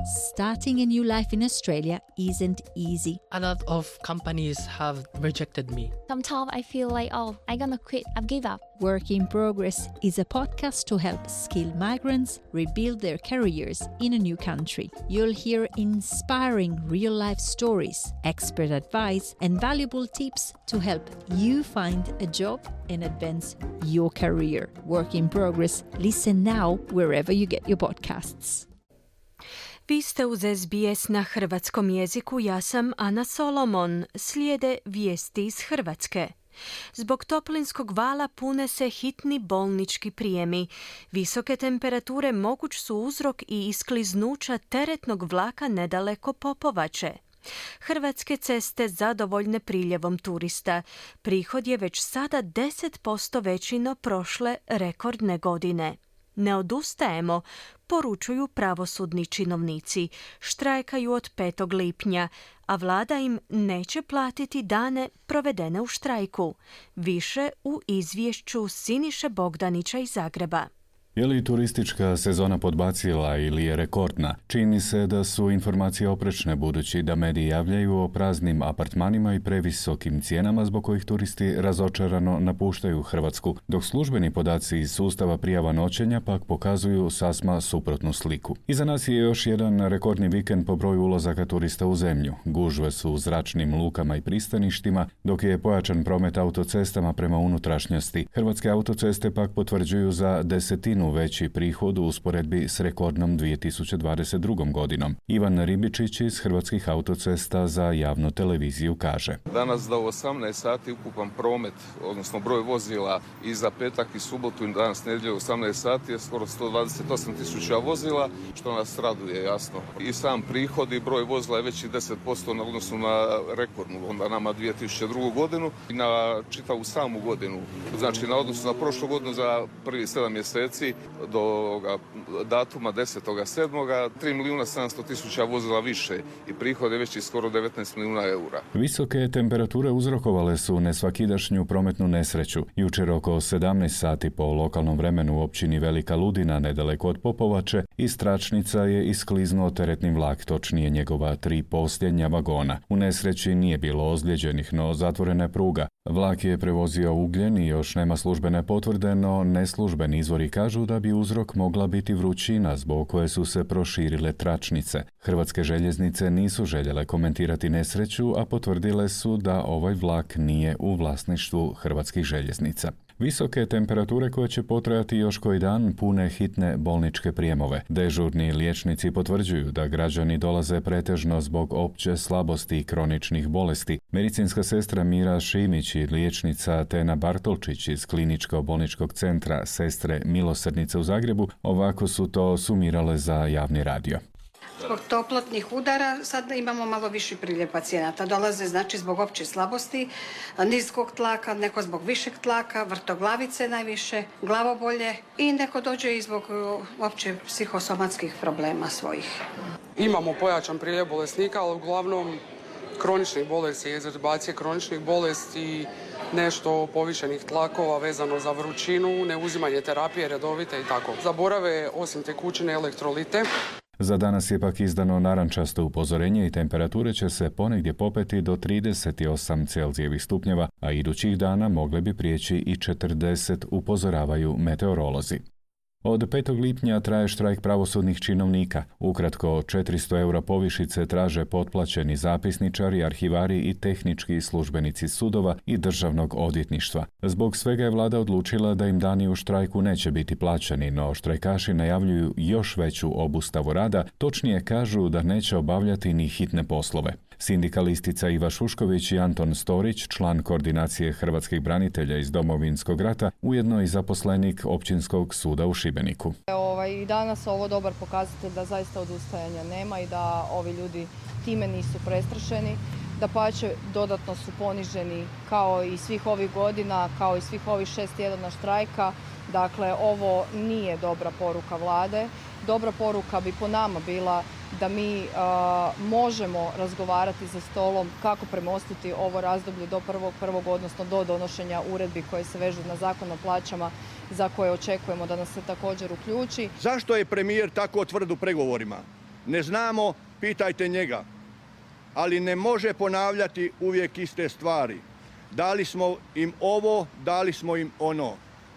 Starting a new life in Australia isn't easy. A lot of companies have rejected me. Sometimes I feel like, I'm gonna quit, I've give up. Work in Progress is a podcast to help skilled migrants rebuild their careers in a new country. You'll hear inspiring real-life stories, expert advice, and valuable tips to help you find a job and advance your career. Work in Progress. Listen now wherever you get your podcasts. Vi ste uz SBS na hrvatskom jeziku, ja sam Ana Solomon. Slijede vijesti iz Hrvatske. Zbog toplinskog vala pune se hitni bolnički prijemi. Visoke temperature moguć su uzrok i iskliznuća teretnog vlaka nedaleko Popovače. Hrvatske ceste zadovoljne priljevom turista. Prihod je već sada 10% veći no prošle rekordne godine. Ne odustajemo, poručuju pravosudni činovnici. Štrajkaju od 5. lipnja, a vlada im neće platiti dane provedene u štrajku. Više u izvješću Siniše Bogdanića iz Zagreba. Je li turistička sezona podbacila ili je rekordna? Čini se da su informacije oprečne budući da mediji javljaju o praznim apartmanima i previsokim cijenama zbog kojih turisti razočarano napuštaju Hrvatsku, dok službeni podaci iz sustava prijava noćenja pak pokazuju sasma suprotnu sliku. Iza nas je još jedan rekordni vikend po broju ulazaka turista u zemlju. Gužve su u zračnim lukama i pristaništima, dok je pojačan promet autocestama prema unutrašnjosti. Hrvatske autoceste pak potvrđuju za 10% veći prihod u usporedbi s rekordnom 2022. godinom. Ivan Ribičić iz Hrvatskih autocesta za javnu televiziju kaže: Danas do 18 sati ukupan promet, odnosno broj vozila i za petak i subotu i danas nedjelju 18 sati je skoro 128.000 vozila, što nas raduje jasno. I sam prihod i broj vozila je veći 10% na odnosu na rekordnu, onda nama 2002. godinu i na čitavu samu godinu. Znači na odnosu na prošlu godinu za prvi 7 mjeseci do datuma 10.7. 3.700.000 vozila više i prihod je veći skoro 19 milijuna eura. Visoke temperature uzrokovale su nesvakidašnju prometnu nesreću. Jučer oko 17 sati po lokalnom vremenu u općini Velika Ludina, nedaleko od Popovače, iz tračnica je iskliznuo teretni vlak, točnije njegova 3 posljednja vagona. U nesreći nije bilo ozlijeđenih, no zatvorena je pruga. Vlak je prevozio ugljen i još nema službene potvrde, no neslužbeni izvori kažu da bi uzrok mogla biti vrućina zbog koje su se proširile tračnice. Hrvatske željeznice nisu željele komentirati nesreću, a potvrdile su da ovaj vlak nije u vlasništvu Hrvatskih željeznica. Visoke temperature koje će potrajati još koji dan pune hitne bolničke prijemove. Dežurni liječnici potvrđuju da građani dolaze pretežno zbog opće slabosti i kroničnih bolesti. Medicinska sestra Mira Šimić i liječnica Tena Bartolčić iz Kliničko-bolničkog centra Sestre Milosrdnice u Zagrebu ovako su to sumirale za javni radio. Zbog toplotnih udara sad imamo malo viši priljev pacijenata. Dolaze znači zbog opće slabosti, niskog tlaka, neko zbog višeg tlaka, vrtoglavice najviše, glavobolje i neko dođe i zbog opće psihosomatskih problema svojih. Imamo pojačan priljev bolesnika, ali uglavnom kroničnih bolesti, egzerbacije kroničnih bolesti, nešto povišenih tlakova vezano za vrućinu, neuzimanje terapije redovite i tako. Zaborave osim tekućine elektrolite. Za danas je pak izdano narančasto upozorenje i temperature će se ponegdje popeti do 38 Celzijevih stupnjeva, a idućih dana mogle bi prijeći i 40, upozoravaju meteorolozi. Od 5. lipnja traje štrajk pravosudnih činovnika. Ukratko, 400 eura povišice traže potplaćeni zapisničari, arhivari i tehnički službenici sudova i državnog odvjetništva. Zbog svega je vlada odlučila da im dani u štrajku neće biti plaćeni, no štrajkaši najavljuju još veću obustavu rada, točnije kažu da neće obavljati ni hitne poslove. Sindikalistica Iva Šušković i Anton Storić, član koordinacije hrvatskih branitelja iz Domovinskog rata, ujedno i zaposlenik Općinskog suda u Šibeniku. I danas ovo dobar pokazatelj da zaista odustajanja nema i da ovi ljudi time nisu prestrašeni. Dapače, dodatno su poniženi kao i svih ovih godina, kao i svih ovih 6 tjedana štrajka. Dakle, ovo nije dobra poruka vlade. Dobra poruka bi po nama bila da mi možemo razgovarati za stolom kako premostiti ovo razdoblje do 1.1. odnosno do donošenja uredbi koje se vežu na Zakon o plaćama za koje očekujemo da nas se također uključi. Zašto je premijer tako tvrd u pregovorima? Ne znamo, pitajte njega. Ali ne može ponavljati uvijek iste stvari. Dali smo im ovo, dali smo im ono.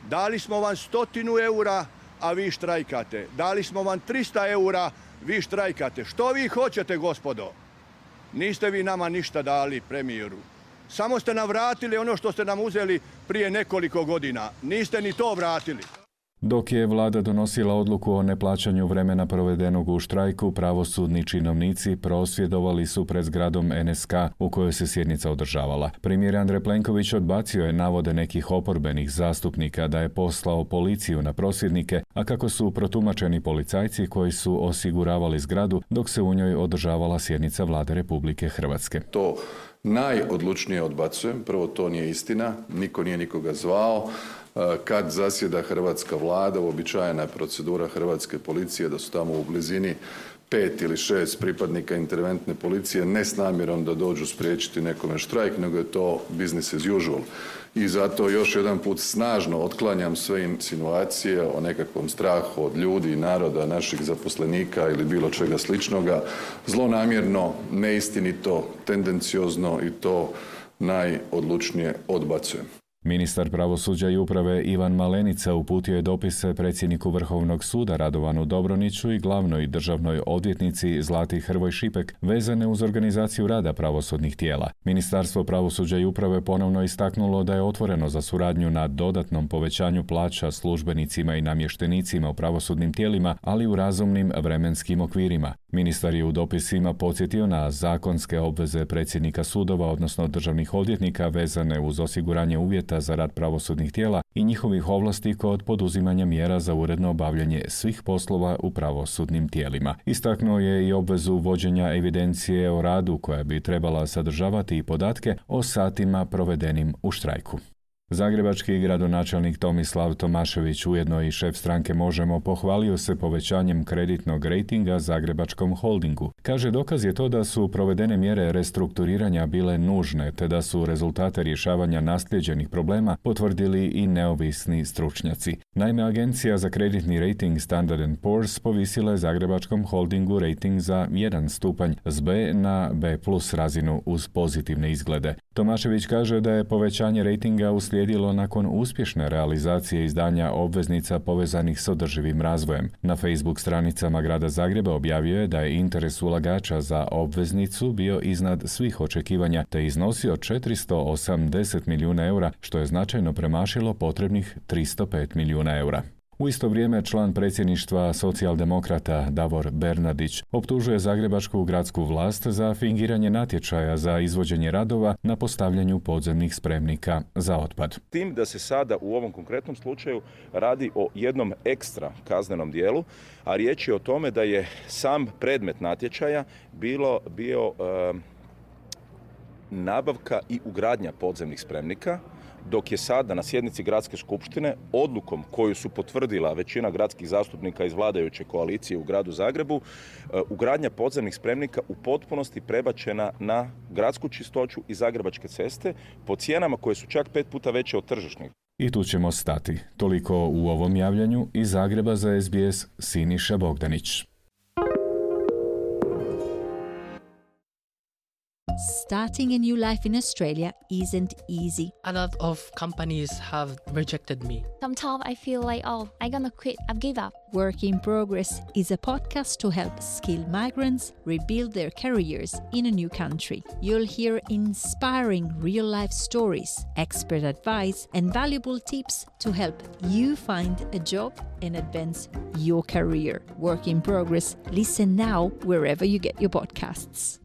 Dali smo vam 100 eura, a vi štrajkate. Dali smo vam 300 eura, vi štrajkate. Što vi hoćete, gospodo? Niste vi nama ništa dali, premijeru. Samo ste nam vratili ono što ste nam uzeli prije nekoliko godina. Niste ni to vratili. Dok je vlada donosila odluku o neplaćanju vremena provedenog u štrajku, pravosudni činovnici prosvjedovali su pred zgradom NSK u kojoj se sjednica održavala. Premijer Andrej Plenković odbacio je navode nekih oporbenih zastupnika da je poslao policiju na prosvjednike, a kako su protumačeni policajci koji su osiguravali zgradu dok se u njoj održavala sjednica Vlade Republike Hrvatske. To najodlučnije odbacujem. Prvo, to nije istina. Niko nije nikoga zvao. Kad zasjeda hrvatska vlada, uobičajena je procedura hrvatske policije da su tamo u blizini 5 ili 6 pripadnika interventne policije, ne s namjerom da dođu spriječiti nekome štrajk, nego je to business as usual. I zato još jedan put snažno otklanjam sve insinuacije o nekakvom strahu od ljudi, naroda, naših zaposlenika ili bilo čega sličnoga. Zlonamjerno, neistinito, tendenciozno i to najodlučnije odbacujem. Ministar pravosuđa i uprave Ivan Malenica uputio je dopise predsjedniku Vrhovnog suda Radovanu Dobroniću i glavnoj državnoj odvjetnici Zlati Hrvoj Šipek vezane uz organizaciju rada pravosudnih tijela. Ministarstvo pravosuđa i uprave ponovno istaknulo da je otvoreno za suradnju na dodatnom povećanju plaća službenicima i namještenicima u pravosudnim tijelima, ali u razumnim vremenskim okvirima. Ministar je u dopisima podsjetio na zakonske obveze predsjednika sudova, odnosno državnih odvjetnika vezane uz osiguranje uvjeta za rad pravosudnih tijela i njihovih ovlasti kod poduzimanja mjera za uredno obavljanje svih poslova u pravosudnim tijelima. Istaknuo je i obvezu vođenja evidencije o radu koja bi trebala sadržavati i podatke o satima provedenim u štrajku. Zagrebački gradonačelnik Tomislav Tomašević, ujedno i šef stranke Možemo, pohvalio se povećanjem kreditnog rejtinga Zagrebačkom holdingu. Kaže, dokaz je to da su provedene mjere restrukturiranja bile nužne, te da su rezultate rješavanja naslijeđenih problema potvrdili i neovisni stručnjaci. Naime, agencija za kreditni rejting Standard & Poor's povisila je Zagrebačkom holdingu rejting za 1 stupanj s B na B+ razinu uz pozitivne izglede. Tomašević kaže da je povećanje rejtinga uslijedilo nakon uspješne realizacije izdanja obveznica povezanih s održivim razvojem. Na Facebook stranicama grada Zagreba objavio je da je interes ulagača za obveznicu bio iznad svih očekivanja te iznosio 480 milijuna eura, što je značajno premašilo potrebnih 305 milijuna eura. U isto vrijeme član predsjedništva socijaldemokrata Davor Bernardić optužuje zagrebačku gradsku vlast za fingiranje natječaja za izvođenje radova na postavljanju podzemnih spremnika za otpad. Tim da se sada u ovom konkretnom slučaju radi o jednom ekstra kaznenom dijelu, a riječ je o tome da je sam predmet natječaja bio nabavka i ugradnja podzemnih spremnika, dok je sada na sjednici gradske skupštine odlukom koju su potvrdila većina gradskih zastupnika iz vladajuće koalicije u gradu Zagrebu, ugradnja podzemnih spremnika u potpunosti prebačena na gradsku čistoću i Zagrebačke ceste po cijenama koje su čak 5 puta veće od tržišnih. I tu ćemo stati. Toliko u ovom javljanju. Iz Zagreba za SBS Siniša Bogdanić. Starting a new life in Australia isn't easy. A lot of companies have rejected me. Sometimes I feel like, I'm gonna quit, I've give up. Work in Progress is a podcast to help skilled migrants rebuild their careers in a new country. You'll hear inspiring real-life stories, expert advice, and valuable tips to help you find a job and advance your career. Work in Progress. Listen now wherever you get your podcasts.